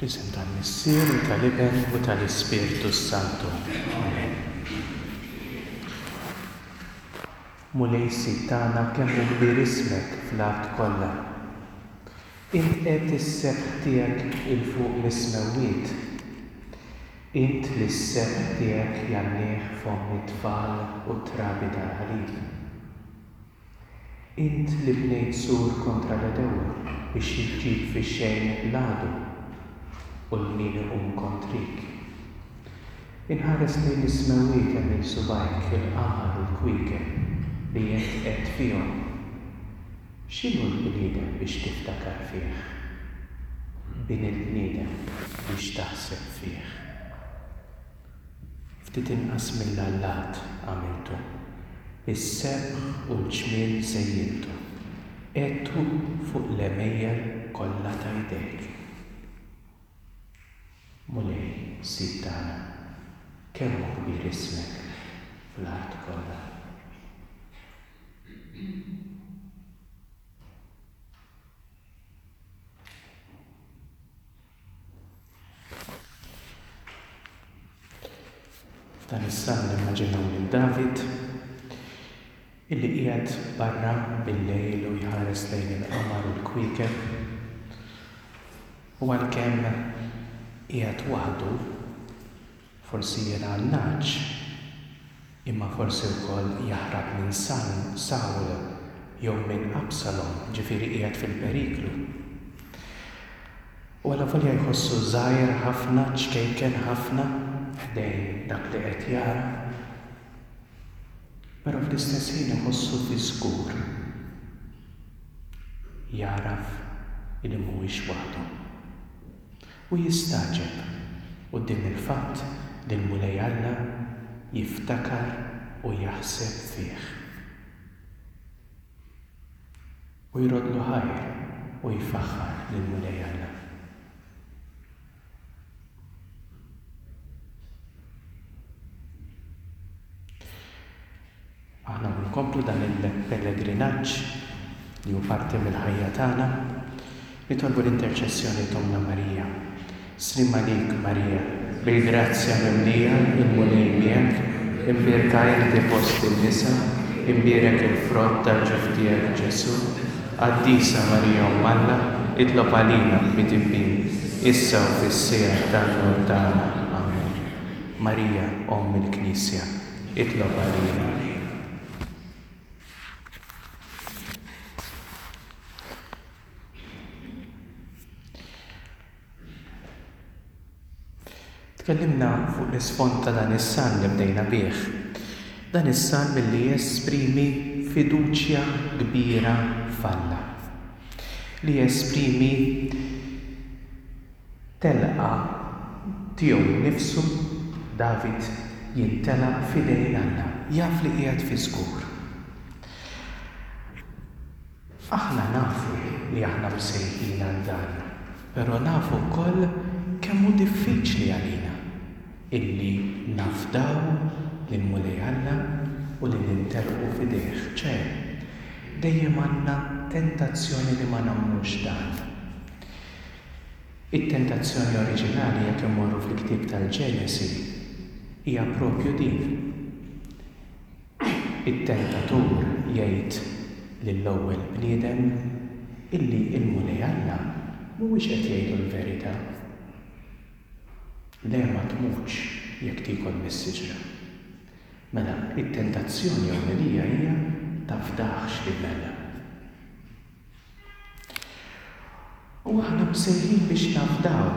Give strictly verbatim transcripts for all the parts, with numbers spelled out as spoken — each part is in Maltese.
Fl-isem tal-Missier u tal-Iben u tal-Ispirtu s-Santu. Amen. Mulej Sid tagħna, kemm hu kbir ismek fl-art kollha. Int qed is-sebħ tiegħek 'il fuq mis-smewwiet. Int li s-sebħ tiegħek jgħannih fomm it-tfal u t-trabi tal-ħalib. Int li bnejt sur kontra l-għedewwa biex iġġib fix-xejn l-għadu u 'l min iqum kontrik. Inħares lejn is-smewwiet għemil subgħajk, il-qamar u l-kwiekeb li int qegħedt fihom. X'inhu l-bniedem biex tiftakar fih? Bin il-bniedem biex taħseb fih. Ftit inqas mill-allat għamiltu, bis-sebħ u l-ġmiel żejjintu, qegħedtu fuq l-għemejjel kollha ta' jdejk. Mulej, Sid tagħna, kemm hu kbir ismek fl-art kollha. F'dan is-salm nimmaġinaw lil David illi qiegħed barra bil-lejl u jħares lejn il-qamar u l-kwiekeb, u għalkemm qiegħed waħdu, forsi jirgħa n-nagħaġ, imma forsi wkoll jaħrab minn Sawl jew minn Absalom, ġifieri qiegħed fil-periklu. U allavolja jħossu żgħir ħafna, ċkejken ħafna ħdejn dak li qed jara, però fl-istess ħin iħossu fi żgur. Jagħraf li mhuwiex waħdu. U jistagħġeb quddiem il-fatt li l-Mulej Alla jiftakar u jaħseb fih. U jrodlu ħajr u jfaħħar lill-Mulej Alla. Aħna nkomplu dan il-pellegrinaġġ li hu parti mill-ħajja tagħna, nitolbu l-interċessjoni t'Ommna Marija. Sliem għalik Marija, bil-grazzja mimlija, il-Mulej miegħek, imbierka inti fost in-nisa, imbierek il-frott tal-ġuf tiegħek Ġesù. Qaddisa Marija Omm Alla, itlob għalina midinbin, issa u fis-siegħa tal-mewt tagħna. Amen. Marija Omm il-Knisja, itlob għalina. Tkellimna fuq l-isfond ta' dan is-salm li bdejna bih. Dan is-salm li jesprimi fiduċja kbira f'Alla, li jesprimi telqa tiegħu nnifsu. David jintelaq f'idejn Alla, jaf li qiegħed fi żgur. Aħna nafu li aħna msejħin għal dan, però nafu wkoll kemm hu diffiċli għalina illi nafdaw lill-Mulej Alla u li nintelqu f'idejh. Ċe, dejjem għandna tentazzjoni li ma nagħmlux dan. It-tentazzjoni oriġinali, jekk immorru fil-ktieb tal-Ġenesi, hija propju din. It-tentatur jgħid lill-ewwel bniedem illi l-Mulej Alla mhuwiex qed jgħidu l-verità. Le, ma tmutx jekk tiekol mis-siġra. Mela, it-tentazzjoni ewlenija hija tafdaħx lil Alla. U aħna msejħin biex nafdaw,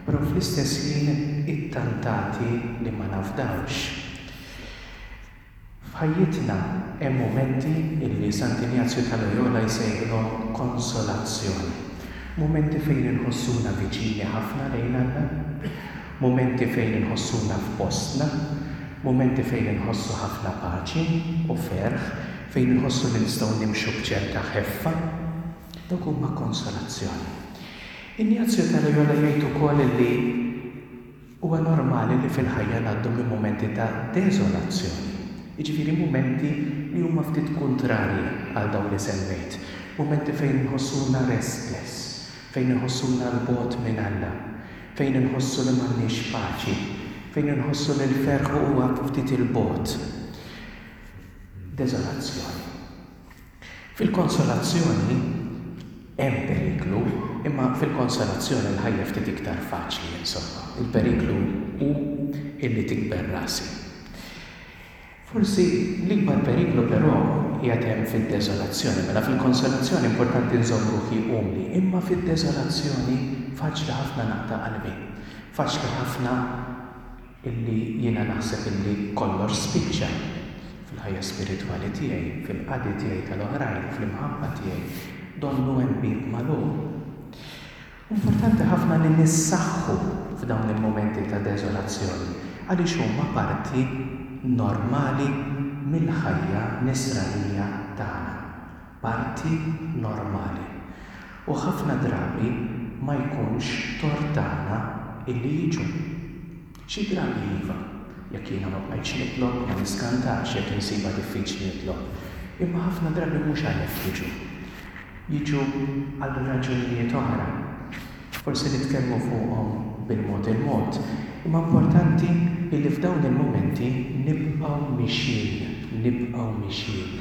però fl-istess ħin ittantati li ma nafdawx. F'ħajjitna hemm mumenti illi Sant'Injazju ta' Loyola jsejħilhom konsolazzjoni. Mumenti fejn inħossuna viċini ħafna lejn Alla, mumenti fejn inħossuna f'postna, mumenti fejn inħossu ħafna paċi u ferħ, fejn inħossu li nistgħu nimxu b'ċerta ħeffa. Dawk huma konsolazzjoni. Injazju ta' Loyola jgħid ukoll li huwa normali li fil-ħajja ngħaddu minn mumenti ta' deżolazzjoni. Jiġifieri mumenti li huma ftit kontrarji għal dawn li semmejt. Mumenti fejn nħossuna restless, fejn nħossuna 'l bogħod minn Alla, fejn inħossu li m'għandniex paċi, fejn inħossu li l-ferħ huwa ftit 'il bogħod. Deżolazzjoni. Fil-konsolazzjoni hemm periklu, imma fil-konsolazzjoni l-ħajja ftit iktar faċli, insomma. Il-periklu hu illi tikber rasi. Forsi l-ikbar periklu però qiegħed hemm fid-deżolazzjoni. Mela fil-konsolazzjoni importanti nżomm ruħi umli, imma fid-deżolazzjoni faċli ħafna naqta' qalbi. Faċli ħafna illi jiena naħseb illi kollox spiċċa fil-ħajja spiritwali tiegħi, fil-qadi tiegħi tal-oħrajn, fl-imħabba tiegħi, donnu hemm bieb magħluq. Importanti ħafna li nissaħħu f'dawn il-mumenti ta' deżolazzjoni, għaliex huma parti normali mill-ħajja nisranija tagħna. Parti normali. U ħafna drabi ma jkunx tort tagħna illi jiġu. Xi drabi iva, jekk jiena ma bqajtx nitlob, ma niskantax jekk insibha diffiċli nitlob. Imma ħafna drabi mhux għalhekk jiġu. Jiġu għal raġunijiet oħra. Forsi nitkellmu fuqhom bil-mod il-mod. Imma importanti illi f'dawn il-mumenti nibqgħu mixjin, nibqgħu mixjin.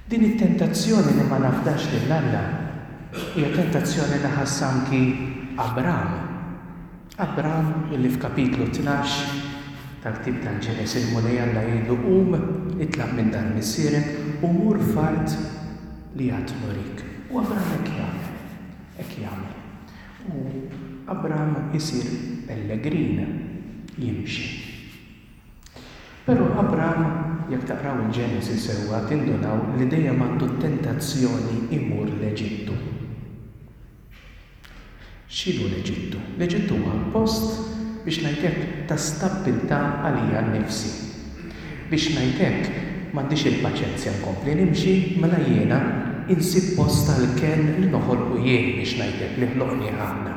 Din it-tentazzjoni li ma nafdax lil Alla hija tentazzjoni li ħass anki Abram. Abram illi f'kapitlu tnax tal-ktieb tal-Ġenesi l-Mulej Alla jgħidlu qum, itlaq minn dar missierek u mur f'art li għad nurik. U Abram hekk jagħmel, hekk jagħmel. U Abram isir pellegrin, jimxi. Però Abram, jekk taqraw il-Ġenesi sewwa, tindunaw li dejjem għandu t-tentazzjoni imur l-Eġittu. X'inhu l-Eġittu? L-Eġittu huwa post, biex ngħid hekk, ta' stabbiltà għalija nnifsi. Biex ngħid hekk, m'għandix il-paċenzja nkompli nimxi, mela jiena insib post tal-kenn li noħolqu jien, biex ngħid hekk, li ħloqni Alla.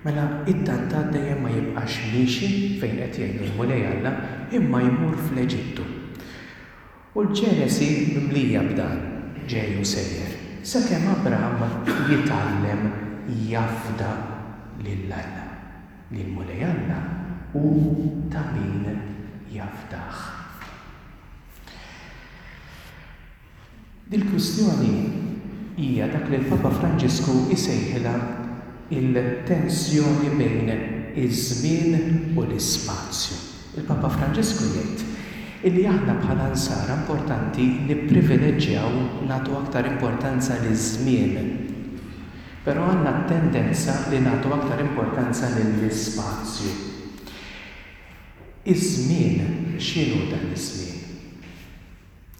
Mela it-tantat dejjem ma jibqax miexi fejn qed jgħidu l-Mulej Alla, imma jmur fl-Eġittu. U l-Ġenesi mimlija b'dan, ġej u sejjer, sakemm Abram jitgħallem jafda lil Alla. Li l-Mulej Alla hu ta' min jafdah. Dil-kwistjoni hija dak li l-Papa Franġisku jsejħilha il-tensjoni bejn iż-żmien u l-ispazju. Il-Papa Franġisku jgħid illi aħna bħala nsara importanti nipprivileġġjaw, nagħtu aktar importanza liż-żmien. Però għandna t-tendenza li nagħtu aktar importanza lill-ispazju. Iż-żmien, x'inhu dan iż-żmien?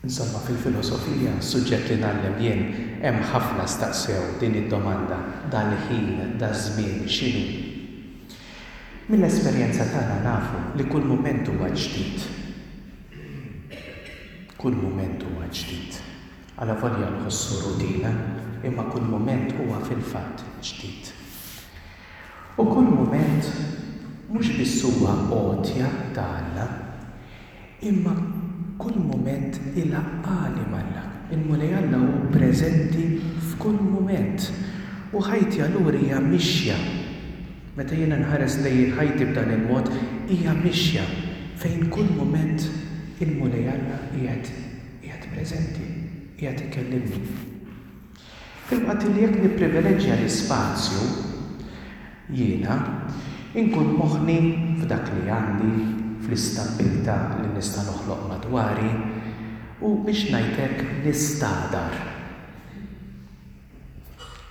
Insomma, fil-filosofija, suġġett li ngħallem jien, hemm ħafna staqsew din id-domanda, dal-ħin, daż-żmien, x'inhu? Mill-esperjenza tagħna nafu li kull mument huwa ġdid. Kull mument huwa ġdid. Alavolja nħossu rutina, imma kull mument huwa fil-fatt ġdid. U kull mument mhux biss huwa għotja ta' Alla, imma kull mument ilaqqani m'Alla. Il-Mulej Alla hu preżenti f'kull mument. U ħajti allura hija mixja. Meta jiena nħares lejn ħajti b'dan il-mod, hija mixja fejn kull mument il-Mulej Alla qiegħed qiegħed preżenti, qiegħed ikellimni. Filwaqt li jekk nipprivileġġja l-ispazju, jiena inkun moħħni f'dak li għandi, fl-istabbiltà li nista' noħloq madwari, u biex ngħid hekk nistagħdar.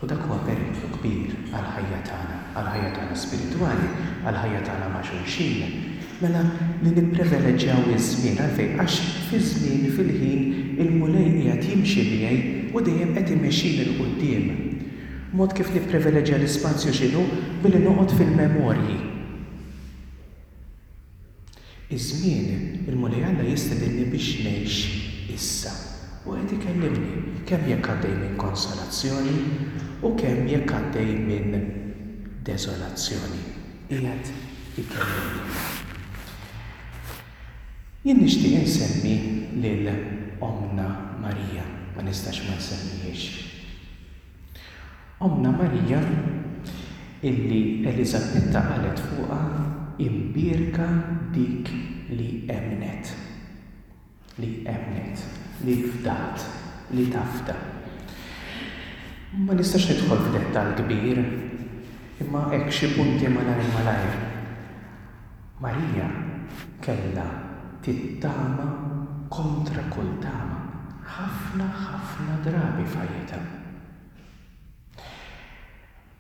U dak huwa periklu kbir għall-ħajja tagħna, għall-ħajja tagħna spiritwali, għall-ħajja tagħna ma' xulxin. Mela li nipprivileġġjaw iż-żmien, għalfejn? Għax fiż-żmien, fil-ħin, il-Mulej qiegħed jimxi miegħi u dejjem qed imexxini 'l quddiem. Mod kif nipprivileġġja l-ispazju x'inhu? Billi noqgħod fil-memorji. Iż-żmien, il-Mulej Alla jistedinni biex ngħix issa. U qed ikellimni kemm jekk għaddej minn konsolazzjoni u kemm jekk għaddej minn deżolazzjoni. Qiegħed ikellimni. Jien nixtieq insemmi lil Ommna Marija, ma nistax ma nsemmihiex. Ommna Marija illi Eliżabetta qalet fuqha imbierka dik li emmnet. Li emmnet, li fdat, li tafda. Ma nistax nidħol f'dettall kbir, imma hekk xi punti malajr malajr. Marija kellha tittama kontra kull tama, ħafna ħafna drabi f'ħajjitha.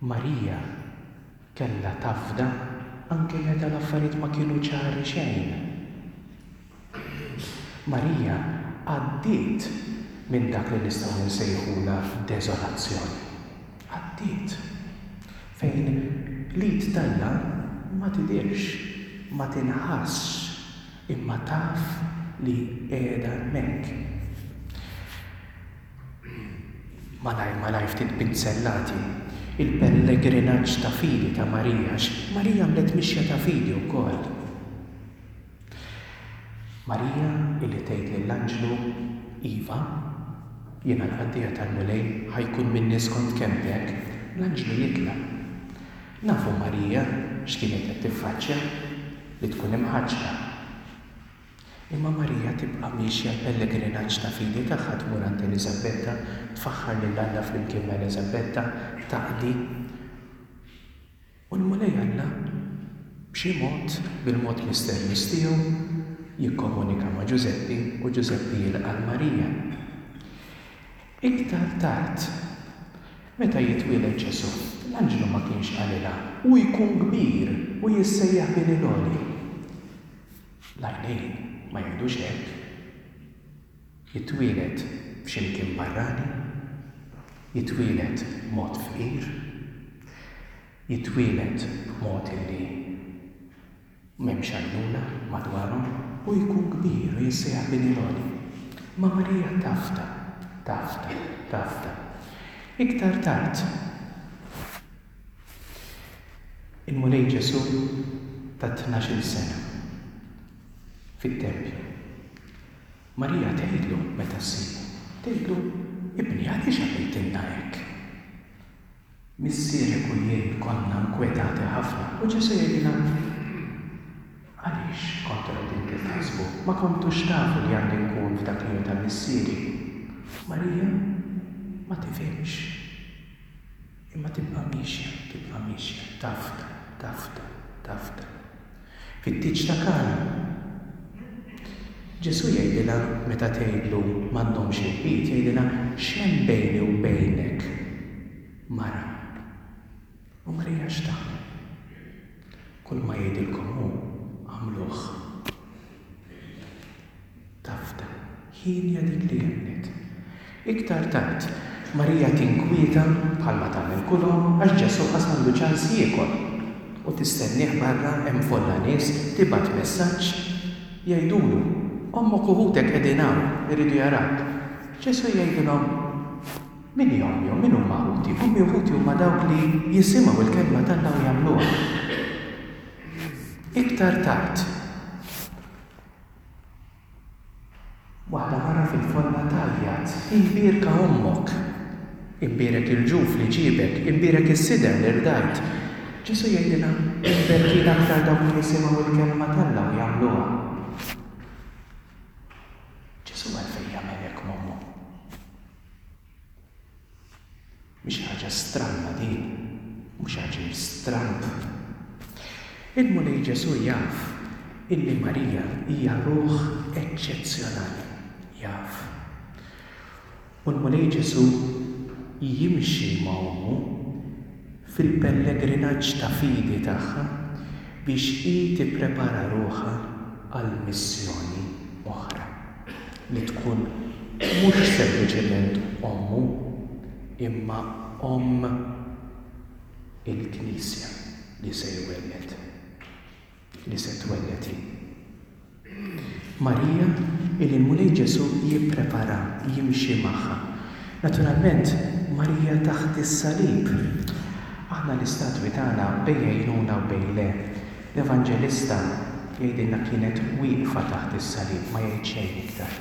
Marija kellha tafda anke meta l-affarijiet ma kienu ċari xejn. Marija għaddiet minn dak li nistgħu nsejħula deżolazzjoni. Għaddiet. Fejn l-id t'Alla ma tidhirx, ma tinħassx, imma taf li qiegħda hemmhekk. Malajr malajr ftit pinzellati, il-pellegrinaġġ ta' fidi ta' Marija, għax Marija għamlet mixja ta' fidi wkoll. Marija illi tgħid lill-anġlu, Iva, jiena l-qaddejja tal-Mulej, ħa jkun minni skont kelmtek, l-anġlu jitlaq. Nafu Marija x'kienet qed tiffaċċja, li tkun imħaġġra. Imma Marija tibqa' miexja l-pellegrinaġġ ta' fidi tagħha, tmur għand Eliżabetta, tfaħħar lil Alla flimkien ma' Eliżabetta, taqdi. U l-Mulej Alla b'xi mod, bil-mod misterjuż tiegħu, jikkomunika ma' Ġużeppi u Ġużeppi jilqa' l Marija. Iktar tard, meta jitwieled Ġesù, l-anġlu ma kienx qalilha u jkun kbir u jissejjaħ bin il-Għoli. L-għajnejn ma jgħidux hekk. Jitwieled f'ximkien barrani, jitwieled b'mod fqir, jitwieled b'mod illi m'hemmx għajnuna madwarhom u jkun kbir u jissejjaħ bin il-Għoli. Ma Marija tafda, tafda, tafda. Iktar tard, il-Mulej Ġesù ta' tnax-il sena fit-tempju. Marija tgħidlu meta ssibu, tgħidlu, ibni għaliex għamiltilna hekk? Missierek u jien konna nkwetati ħafna. U Ġesù jgħidilha, għaliex kontu qegħdin titħassbu? Ma kontux tafu li għandi nkun f'dak li hu ta' missieri. Marija ma tifhimx. Imma tibqa' miexja, tibqa' miexja, tafda, tafda, tafda. Fit-tieġ ta' Kana, Ġesù jgħidilha meta tgħidlu m'għandhomx inbid, jgħidilha x'hemm bejni u bejnek, mara. U Marija x'tagħmel? Kull ma jgħidilkom hu għamluh. Tafda, ħinja dik li emmnet. Iktar tard, Marija tinkwieta bħalma tagħmel kull omm għax Ġesù qas m'għandu ċans jiekol. U tistennieh barra hemm folla nies, tibgħat messaġġ jgħidulu, ommok u ħutek qegħdin hawn, iridu jarawk. Ġesù jgħidilhom, min hi ommi u min huma ħuti? Ommi u ħuti huma dawk li jisimgħu l-kelma t'Alla u jagħmluha. Iktar tard, waħda mara fil-folla tgħajjat, imbierka ommok, imbierek il-ġuf li ġiebek, imbierek is-sider li rdajt. Ġesù jgħidilha, imberkin aktar dawk li jisimgħu l-kelma t'Alla u jagħmluha. Ġesù għalfejn jagħmel hekk m'ommu? Mhix ħaġa stramba din, mhux ħaġa stramb. Il-Mulej Ġesù jaf illi Marija hija ruħ eċċezzjonali, jaf. U l-Mulej Ġesù jimxi ma' ommu fil-pellegrinaġġ ta' fidi tagħha biex hi tipprepara ruħha għal missjoni oħra li tkun mhux sempliċement ommu imma omm il-Knisja li se jwelled, li se twelled hi. Marija illi l-Mulej Ġesù jipprepara, jimxi magħha. Naturalment, Marija taħt is-salib. Aħna l-istatwi tagħna bejn jgħinuna u bejn le. L-Evanġelista jgħidilna kienet wieqfa taħt is-salib, ma jgħid xejn iktar.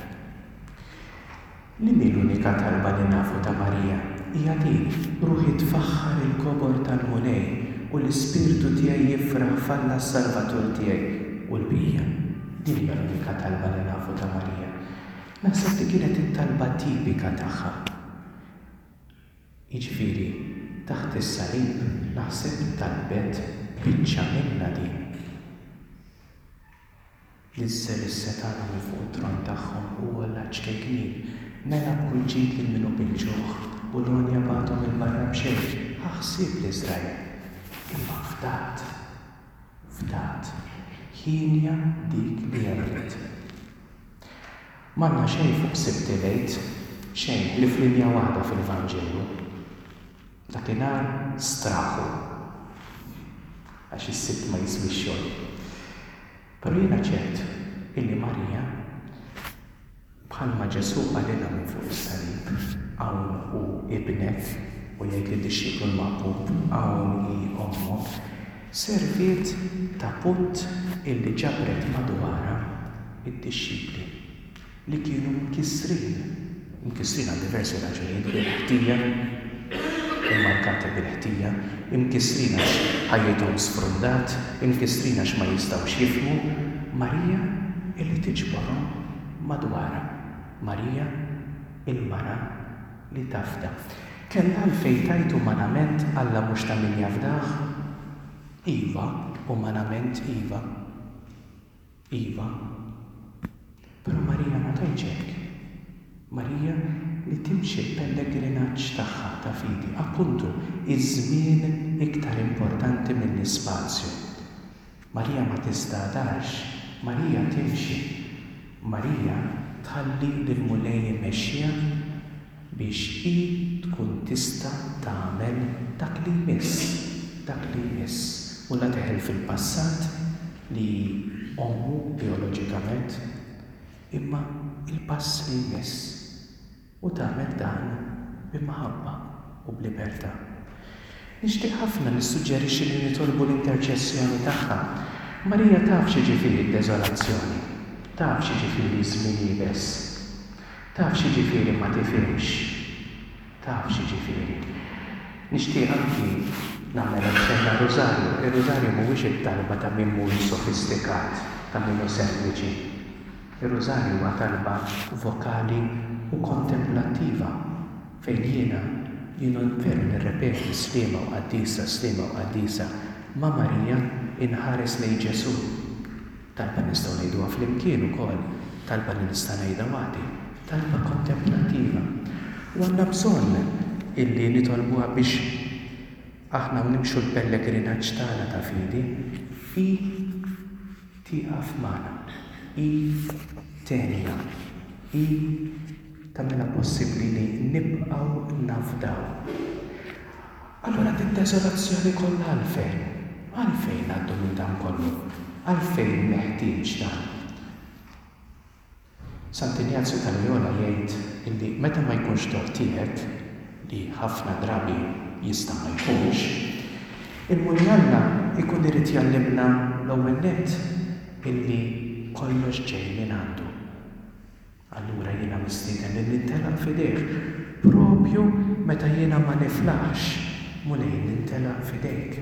Li mi l-unika talba li nafu ta' Marija hija din, ruħi tfaħħar il-kobor tal-Mulej u l-ispirtu tiegħi jifraħ f'Alla s-Salvatur tiegħi, u l-bqija. Din hija l-unika talba li nafu ta' Marija. Naħseb li kienet it-talba tipika tagħha. Jiġifieri, taħt is-salib naħseb talbet biċċa minnha din. Niżżel is-setgħana minn fuq it-tron tagħhom u għolla ċ-ċkejknin. Mela b'kull ġid lil min hu bil-ġuħ u l-għonja bagħathom 'il barra b'xejn. Ħa ħsieb l-Iżrael. Imma fdat, fdat, hienja dik li emmnet. M'għandna xejn fuq Sibt il-Għid, xejn ħlief linja waħda fil-Vanġelu. Dakinhar straħu, għax is-Sibt ma jiswix xogħol. Però jiena ċert illi Marija, bħalma Ġesù qalilha minn fuq is-salib, hawn hu ibnek, u jgħid lid-dixxiplu l-maħbub, hawn hi ommok, serviet ta' punt illi ġabret madwarha id-dixxipli li kienu mkissrin, mkissrin għal diversi raġunijiet, bil-ħtija, immarkati bil-ħtija, imkissrin għax ħajjithom sfrundat, imkissrin għax ma jistgħux jifhmu. Marija illi tiġborhom madwarha. Marija il-mara li tafda. Kellha għalfejn tgħid umanament Alla mhux ta' min jafdah? Iva, umanament iva. Iva. Però Marija ma tgħidx hekk. Marija li timxi l-pellegrinaġġ tagħha ta' fidi, appuntu, iż-żmien iktar importanti mill-ispazju. Marija ma tistagħdarx, Marija timxi. Marija tħalli lill-Mulej imexxiha biex hi tkun tista' tagħmel dak li jmiss, dak li jmiss. U la teħel fil-passat li ommu bijoloġikament, imma il-pass li jmiss. U tagħmel dan b'imħabba u b'libertà. Nixtieq ħafna nissuġġerixxi li nitolbu l-interċessjoni tagħha. Marija taf x'jiġifieri d-deżolazzjoni, taf x'jiġifieri żmien iebes, taf x'jiġifieri ma tifhimx, taf x'jiġifieri. Nixtieq anki nagħmel aċċenn għar-Rużarju. Ir-Rużarju mhuwiex it-talba ta' min mhuwiex sofistikat, ta' min hu sempliċi. Ir-Rużarju huwa talba vokali u kontemplattiva fejn jiena jiena veru nirrepeti sliema u qaddisa, sliema u qaddisa, ma' Marija inħares lejn Ġesù. Talba nistgħu ngħiduha flimkien ukoll, talba li nista' ngħidha waħdi, talba kontemplattiva. U għandna bżonn illi nitolbuha biex aħna nimxu l-pellegrinaġġ tagħna ta' fidi, hi tieqaf magħna, hi tgħinna, hi tagħmilha possibbli li nibqgħu nafdaw. Allura din deżolazzjoni kollha għalfejn? Għalfejn ngħaddu minn dan kollu? Għalfejn meħtieġ dan? Sant'Injazju ta' Loyola jgħid illi meta ma jkunx tort tiegħek, li ħafna drabi jista' ma jkunx, il-Mulej Alla ikun irid jgħallimna l-ewwel nett illi kollox ġej minn għandu. Allura jiena mistieden li nintelaq f'idejh, propju meta jiena ma niflaħx, Mulej nintelaq f'idejk.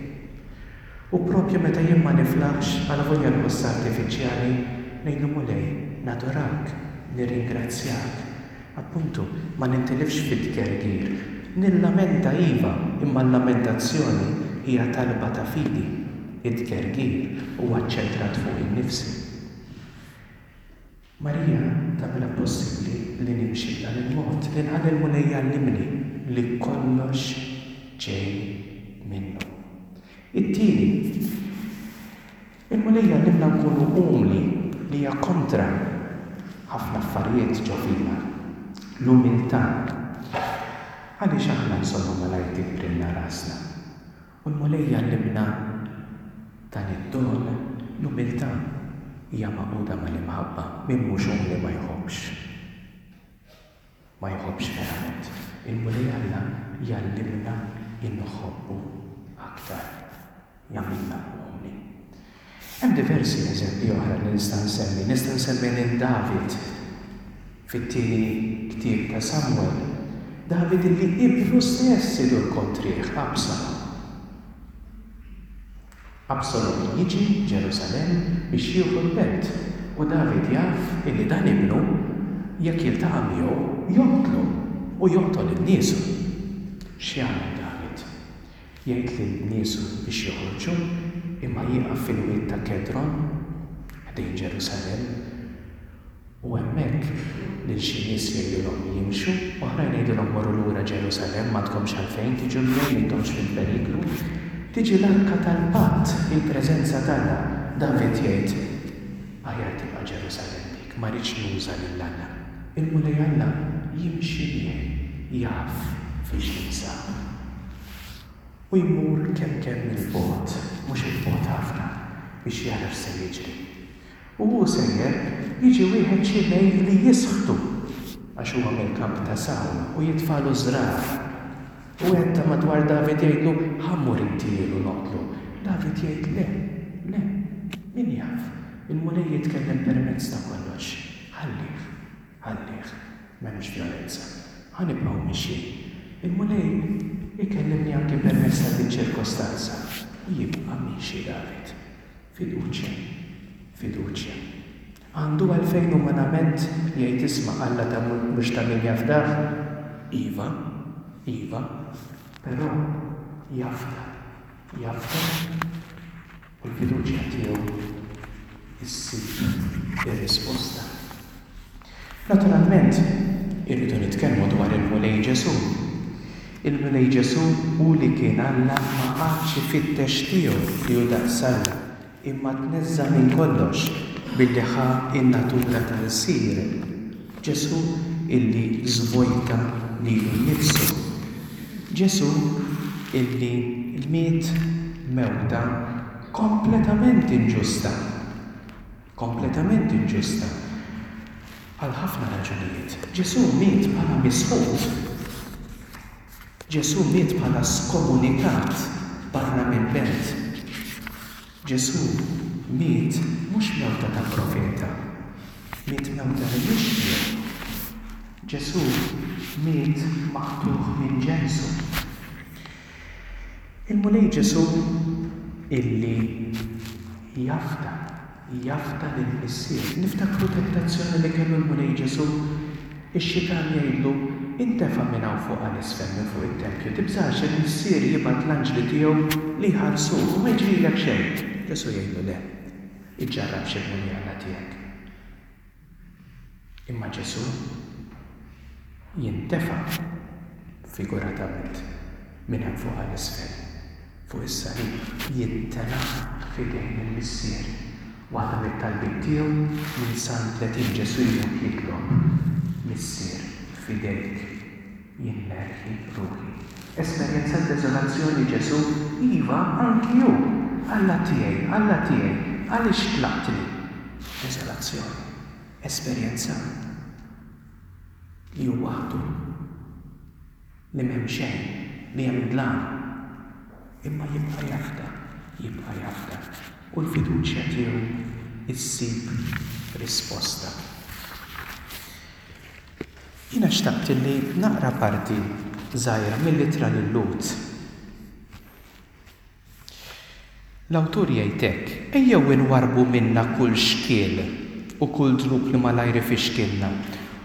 U propju meta jien ma niflaħx, għalavolja nħoss artifiċjali, ngħidlu Mulej, nadurak, nirringrazzjak. Appuntu, ma nintilifx fit-tgergir. Nillamenta iva, imma l-lamentazzjoni hija talba ta' fidi. It-tgergir huwa ċċentrat fuq innifsi. Marija tagħmilha possibbli li nimxi b'dan il-mod, li nħalli l-Mulej jgħallimni li kollox ġej minnu. It-tieni, il-Mulej jgħallimna nkunu umli, li hija kontra ħafna affarijiet ġo fina. L-umiltà. Għaliex aħna nsollu malajr tikbrilna rasna? U l-Mulej jgħallimna dan id-don, l-umiltà hija magħquda mal-imħabba. Min mhux umli ma jħobbx. Ma jħobbx verament. Il-Mulej Alla jgħallimna inħobbu aktar. Jagħmilna umli. Hemm diversi eżempji oħra li nista' nsemmi. Nista' nsemmi lil David fit-tieni ktieb ta' Samuel. David illi ibnu stess idur kontrih, Absalom. Absalom jiġi Ġerusalemm biex jieħu l-belt u David jaf illi dan ibnu jekk jiltaqa' miegħu joqtlu u joqtol lil niesu. X'jagħmel David? Jgħid lil niesu biex joħorġu imma jieqaf fil-wied ta' Kedron ħdejn Ġerusalemm u hemmhekk lil xi nies jgħidilhom jimxu, oħrajn jgħidilhom morru lura Ġerusalemm m'għandkomx għalfejn tiġu miegħi m'intomx fil-periklu. Tiġi l-Arka tal-Patt, il-preżenza t'Alla. David jgħid, aħjar tibqa' Ġerusalemm dik, ma rridx nuża lil Alla. Il-Mulej Alla jimxi miegħi, jaf fiex jinsab. U jmur kemm kemm il-bogħod, mhux il-bogħod ħafna, biex jara x'se jiġri. U hu sejjer jiġi wieħed Ximej li jisħtu għax huwa mill-kamp ta' Sawl u jitfalu żrar. U wieħed ta' madwar David jgħidlu ħa mmur intihielu noqtlu. David jgħid le, le, min jaf, il-Mulej jitkellem permezz ta' kollox. Ħallih, ħallih, m'hemmx vjolenza. Ħa nibqgħu mixjin. Il-Mulej ikellimni anki permezz ta' din ċirkostanza u jibqa' miexi David. Fiduċja, fiduċja. Għandu għalfejn umanament jgħid isma' Alla ta' mhux ta' min jafdah? Iva, iva, però jafda, jafda u l-fiduċja tiegħu issib ir-risposta. Naturalment, irridu nitkellmu dwar il-Mulej Ġesù. Il-Mulej Ġesù hu li kien Alla ma qagħadx ifittex tiegħu li hu daqs Alla, imma tneżża' minn kollox billi ħa in-natura tal-sir. Ġesù illi żvojta lilu nnifsu. Ġesù illi miet mewta kompletament inġusta. Kompletament inġusta. Għal ħafna raġunijiet. Ġesù miet bħala misħut. Ġesù miet bħala skomunikat barra minn belt. Ġesù miet mhux mewta ta' profeta, miet mewta li mhix tiegħu. Ġesù miet maqtugħ minn ġensu. Il-Mulej Ġesù illi jafda, jafda lill-Missier. Niftakru tentazzjoni li kellu l-Mulej Ġesù, ix-xitan jgħidlu intefa' minn hawn fuq għal isfel minn fuq it-tempju, tibżax il-Missier jibgħat l-anġli tiegħu li jħarsuk u ma jiġrilek xejn. Ġesù jgħidlu le, iġġarrabx il-Mulej Alla tiegħek. Imma Ġesù jintefa' figuratament minn hemm fuq għal isfel, fuq is-salib, jintela' f'idejn il-Missier. Waħda mit-talbiet tiegħu minn Salm tletin Ġesù jmut jitlob, Missier, f'idejk jien nerħi ruħi. Esperjenza deżolazzjoni Ġesù, iva, anki hu. Alla tiegħi, Alla tiegħi, għaliex tlaqtni? Deżolazzjoni, esperjenza li hu waħdu, li m'hemm xejn, li hemm dlam, imma jibqa' jafda, jibqa' jafda. U l-fiduċja tiegħu issib risposta. Jiena xtaqt li naqra parti żgħira mill-ittra lil-Lhud. L-awtur jgħid hekk, ejjew inwarrbu minna kull xkiel u kull dnub li malajr ifixkilna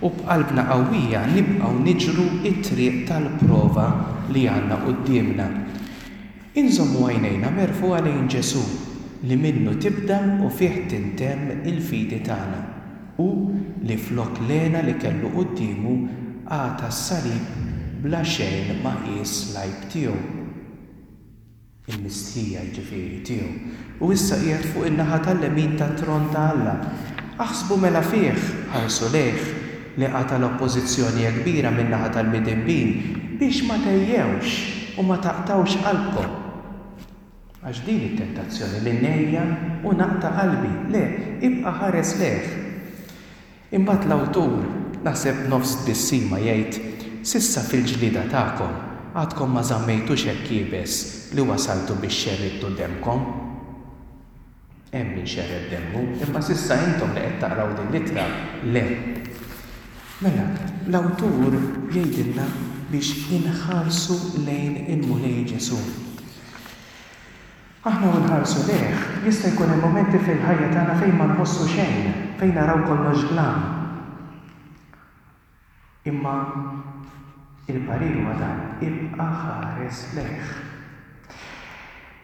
u b'qalbna qawwija nibqgħu niġru t-triq tal-prova li għandna quddiemna. Inżommu għajnejna merfugħa lejn Ġesù li minnu tibda u fih tintemm il-fidi tagħna, u li flok l-hena li kellu quddiemu għata s-salib bla xejn ma qies l-għajb tiegħu. Il-mistħija jiġifieri tiegħu. U issa qiegħed fuq in-naħa tal-lemin tat-tron ta' Alla. Aħsbu mela fih, ħarsu lejh, li qata' l-oppożizzjoni hekk kbira min-naħa tal-midinbin biex ma tgħejjewx u ma taqtgħux qalbkom. Għax din it-tentazzjoni li ngħejja u naqta' qalbi, le, ibqa' ħares lejh. Imbagħad l-awtur, naħseb nofs tbissima jgħid, s'issa fil-ġlieda tagħkom għadkom ma żammejtux hekk iebes li wasaltu biex xerridtu demkom. Hemm min xerred demmu, imma s'issa intom li qed taqraw din l-ittra, le. Mela, l-awtur jgħidilna biex inħarsu lejn il-Mulej Ġesù. Aħna u nħarsu lejh, jista' jkun hemm mumenti fil-ħajja tagħna fejn ma nħossu xejn, fejn naraw kollox dlam. Imma il-parir huwa dan, ibqa' ħares lejh.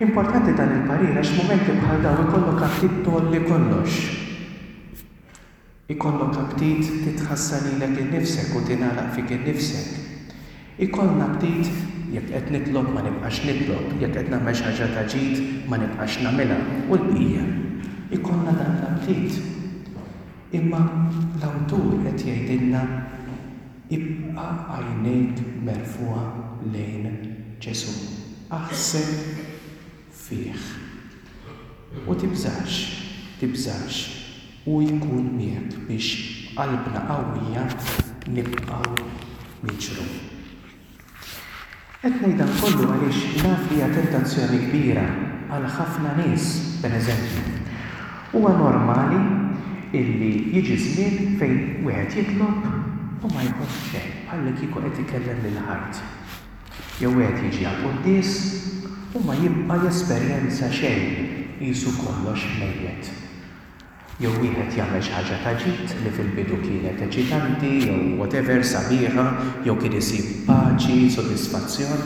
Importanti dan il-parir għax mumenti bħal dawn ikollok aptit tgħolli kollox. Ikollok aptit titħassar lilek innifsek u tingħalaq fik innifsek. Ikollna aptit jekk qed nitlob ma nibqax nitlob, jekk qed nagħmel xi ħaġa ta' ġid ma nibqax nagħmilha u l-bqija. Ikollna dan l-aptit. Imma l-awtur qed jgħidilna ibqa' għajnejk merfugħa lejn Ġesù. Aħseb fih. U tibżax, tibżax, u jkun miegħek biex qalbna qawwija nibqgħu niġru. Qed ngħid dan kollu għaliex naf li hija tentazzjoni kbira għal ħafna nies, pereżempju. Huwa normali illi jiġi żmien fejn wieħed jitlob u ma jħoss xejn, bħal kieku qed ikellem lil ħajt. Jew wieħed jiġi għal quddies u ma jibqa' jesperjenza xejn, qisu kollox mejjet. Jew wieħed jagħmel xi ħaġa ta' ġid li fil-bidu kienet eċitanti jew whatever sabiħa, jew kien isib paċi, sodisfazzjon,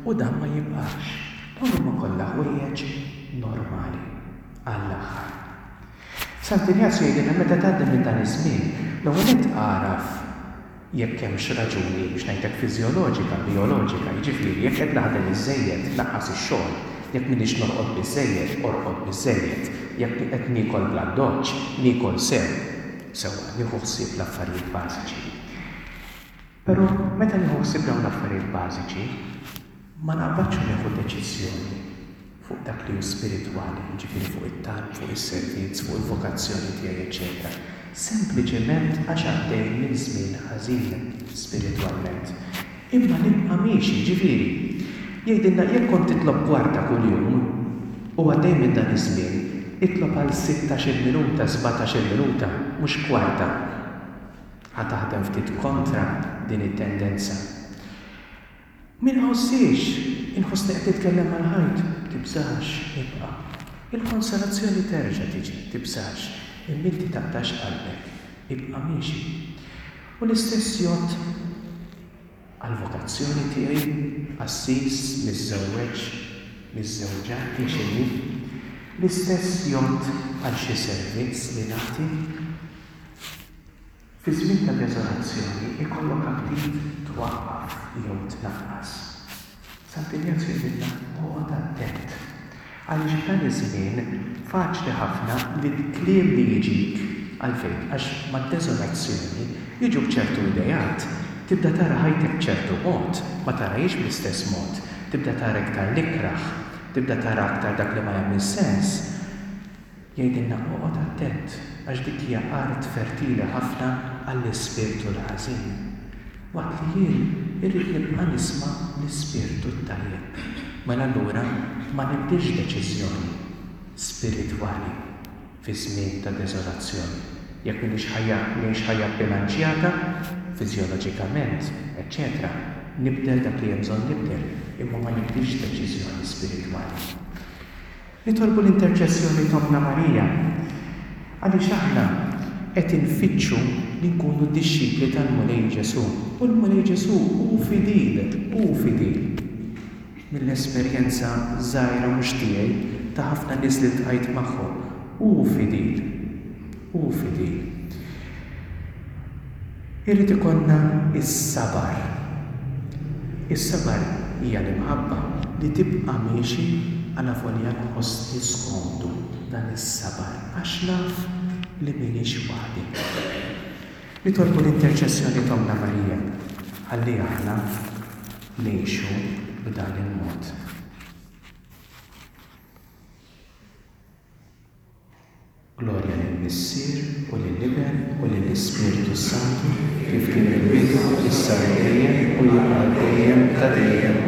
u dan ma jibqax. Dawn huma kollha ħwejjeġ normali għall-aħħar. Sant'Injazju jgħidilna meta tgħaddi minn dan iż-żmien, l-ewwel nett agħraf jekk hemmx raġuni biex ngħidlek fiżjoloġika, bijoloġika, jiġifieri jekk qed naħdem iżżejjed, naqqas ix-xogħol, jekk m'iniex norqod biżżejjed, orqod biżżejjed, jekk qed niekol bl-addoċċ, niekol sew, sewwa, nieħu ħsieb l-affarijiet bażiċi. Però meta nieħu ħsieb dawn l-affarijiet bażiċi, ma naqbadx u nieħu deċiżjoni fuq dak li hu spiritwali, jiġifieri fuq it-talb, fuq is-servizz, fuq il-vokazzjoni tiegħi, eċċetera. Sempliċement għax għaddej minn żmien ħażin spiritwalment. Imma nibqa' miexi, jiġifieri, jgħidilna jekk kont titlob kwarta kuljum u għaddej minn dan iż-żmien, itlob għal sittax-il minuta, sbatax-il minuta, mhux kwarta. Ħa taħdem ftit kontra din it-tendenza. Min ħossiex, inħossni qed nitkellem mal-ħajt, tibżax, ibqa'. Il-konsolazzjoni terġa' tiġi, tibżax, imma inti taqtax qalbek, ibqa' miexi. U l-istess jgħodd għall-vokazzjoni tiegħi, qassis, miżżewweġ, miżżewġa, hi x'inhi. L-istess jgħodd għal xi servizz li nagħti. Fi żmien ta' deżolazzjoni ikollok aptit twaqqaf jew tnaqqas. Sant'Injazju jgħidilna oqgħod attent. Għaliex f'dan iż-żmien faċli ħafna li l-kliem li jiġik għalfejn, għax mad-deżolazzjoni jiġuk ċertu idejat, tibda tara ħajtek b'ċertu mod, ma tarahiex bl-istess mod, tibda tara iktar l-ikrah, tibda tara aktar dak li ma jagħmel sens. Jgħidilna oqgħod attent, għax dik hija art fertili ħafna għall-ispirtu l-ħażin. Waqt li jien irrid nibqa' nisma' l-ispirtu t-tajjeb. Mela allura ma nibdilx deċiżjoni spiritwali fi żmien ta' deżolazzjoni. Jekk m'iniex ħajja, ngħix ħajja bilanċjata, fiżjoloġikament, eċċetera, nibdel dak li hemm bżonn nibdel, imma ma nibdilx deċiżjoni spiritwali. Nitolbu l-interċessjoni t'Ommna Marija, għaliex aħna qed infittxu li nkunu dixxipli tal-Mulej Ġesù. U l-Mulej Ġesù hu fidil, hu fidil. Mill-esperjenza żgħira mhux tiegħi ta' ħafna nies li ltqajt magħhom, hu fidil, hu fidil. Irid ikollna is-sabar. Is-sabar hija l-imħabba li tibqa' miexi għalavolja nħossni skomdu dan is-sabar, għax naf li m'iniex waħdi. Nitolbu l-interċessjoni t'Ommna Marija ħalli aħna ngħixu b'dan il-mod. Glorja lill-Missier u lill-Iben u lill-Ispirtu Santu, kif kien fil-bidu, issa u dejjem u jibqa' dejjem ta' dejjem.